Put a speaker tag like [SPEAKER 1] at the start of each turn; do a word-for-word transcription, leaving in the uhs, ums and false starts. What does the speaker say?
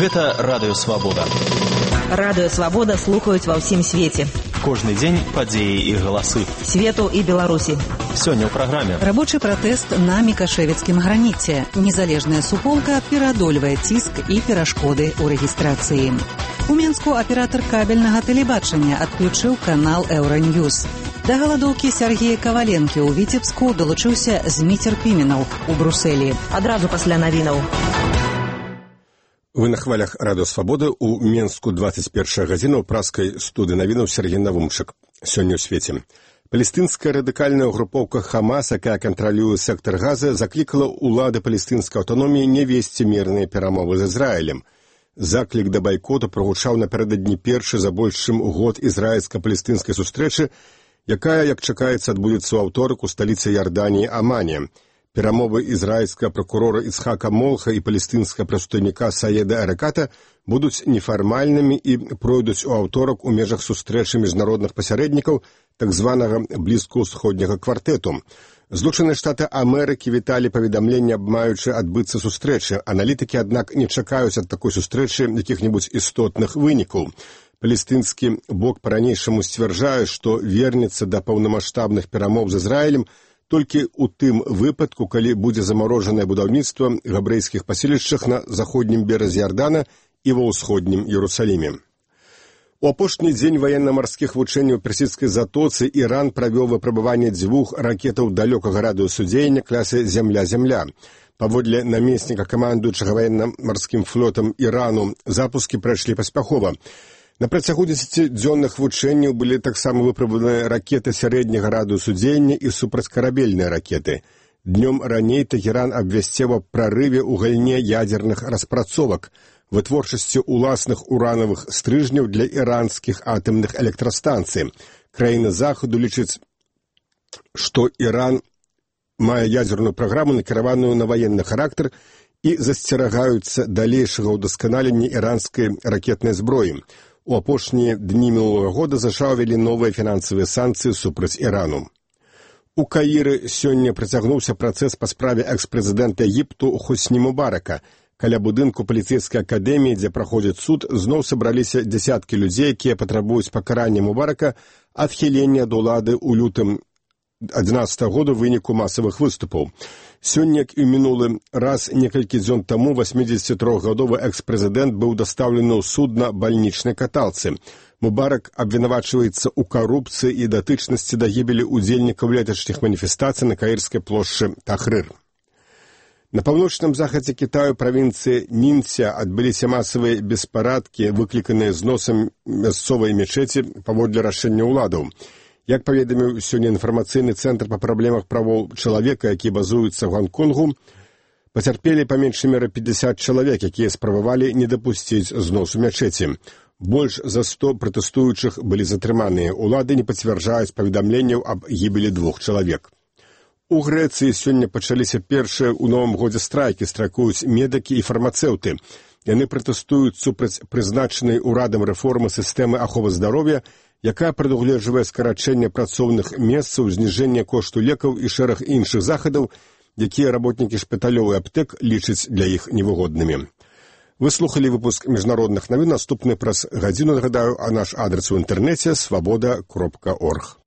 [SPEAKER 1] Гэта Радыё Свабода.
[SPEAKER 2] Радыё Свабода слухаюць ва ўсім свеце.
[SPEAKER 1] Кожны дзень падзеі і галасы.
[SPEAKER 2] Свету і Беларусі.
[SPEAKER 1] Сёння ў праграме.
[SPEAKER 3] Рабочы пратэст на Мікашэвіцкім граніце. Незалежная суполка пераадольвае ціск і перашкоды ў рэгістрацыі. У Мінску аператар кабельнага тэлебачання адключыў канал Еўраньюз. Да галадоўкі Сергея Каваленкі ў Віцебску далучыўся Зміцер Піменаў у Брусэлі.
[SPEAKER 2] Адразу пасля навінаў.
[SPEAKER 4] Вы на хвалях Радыё Свабоды. У Мінску двадцать первая гадзіна ў праскай студыі навінаў Сергей Навумчык. Сёння ў свеце. Палестынская радыкальная групоўка Хамас, якая кантралюе сектар Газы, заклікала ўлады палестынскай аўтаноміі не весці мірныя перамовы з Ізраілем. Заклік да байкоту прагучаў напярэдадні першы за больш чым год ізраільска-палестынскай сустрэчы, якая, як чакаецца, адбудзецца ў аўторак у сталіцы Ярданіі Амане. Перамовы ізраільскага пракурора Ицхака Молха і палестынскага прадстаўніка Саеда Араката будуць нефармальнымі і пройдуць у аўторак у межах сустрэчы міжнародных пасярэднікаў так званага блізкаўсходняга квартэту. Злучаныя Штаты Амерыкі віталі паведамленне аб маючы адбыцца сустрэчы. Аналітыкі, аднак, не чакаюць ад такой сустрэчы якіх-небудзь істотных вынікаў. Палестынскі бок па-ранейшаму сцвярджае, што вернецца да паўнамаштабных перамоў з Ізраілем толькі ў тым выпадку, калі будзе замарожанае будаўніцтва габрэйскіх паселішчах на заходнім беразе Ярдана і ва ўсходнім Іерусаліме. У апошні дзень ваенна-марскіх вучэнняў у персідскай затоцы Іран правёў выпрабаванне дзвюх ракетаў далёкага радыусудзеяння класы «Зямля-Зямля». Паводле намесніка камандуючага ваенна-марскім флотам Ірану запускі прайшлі паспяхова. На працягу дзесяцідзённых вучэнняў былі таксама выпрабаваныя ракеты сярэдняга радыусу дзеяння і супрацькарабельныя ракеты. Днём раней Тэхеран абвясціў аб прарыве ў галіне ядзерных распрацовак, вытворчасці ўласных уранавых стрыжняў для іранскіх атамных электрастанцый. Краіны захаду лічаць, што Іран мае ядзерную праграму, накіраваную на ваенны характар, і засцерагаюцца далейшага ўдасканалення іранскай ракетнай зброі. У апошнія дні мінулага года США ўвялі новыя фінансавыя санкцыі супраць Ірану. У Каіры сёння працягнуўся працэс па справе экс-прэзідэнта Егіпту Хосні Мубарака. Каля будынку паліцэйскай акадэміі, дзе праходзіць суд, зноў сабраліся дзясяткі людзей, якія патрабуюць пакарання Мубарака, адхілення ад улады ў лютым адзінаццатага года ў выніку масавых выступаў. Сёння, як і ў мінулы раз, некалькі дзён таму васьмідзесяцітрохгадовы экс-прэзідэнт быў дастаўлены ў суд на бальнічнай каталцы. Мубарак абвінавачваецца ў карупцыі і датычнасці да гібелі ўдзельнікаў леташніх маніфестацый на каірскай плошчы Тахрыр. На паўночным захадзе Кітаю правінцыі Нінця адбыліся масавыя беспарадкі, выкліканыя зносам мясцовай мечеці паводле рашэння ўладаў. Як паведаміў сёння інфармацыйны цэнтр па праблемах правоў чалавека, які базуецца ў Гонконгу, пацярпелі па меншай меры пятьдесят чалавек, якія спрабавалі не дапусціць зносу мячэці. Больш за сто пратэстуючых былі затрыманыя. Улады не пацвярджаюць паведамленняў аб гібелі двух чалавек. У Грэцыі сёння пачаліся першыя ў новым годзе страйкі, страйкуюць медыкі і фармацэўты. Яны пратэстуюць супраць прызначанай урадам рэформы сістэмы аховы здароўя, якая прадугледжвае скарачэнне працоўных месцаў, зніжэнне кошту лекаў і шэраг іншых захадаў, якія работнікі шпіталёў і аптэк лічаць для іх невыгоднымі. Вы слухалі выпуск міжнародных навін, наступны праз гадзіну, нагадаю, а наш адрес у інтэрнэце свабода кропка орг.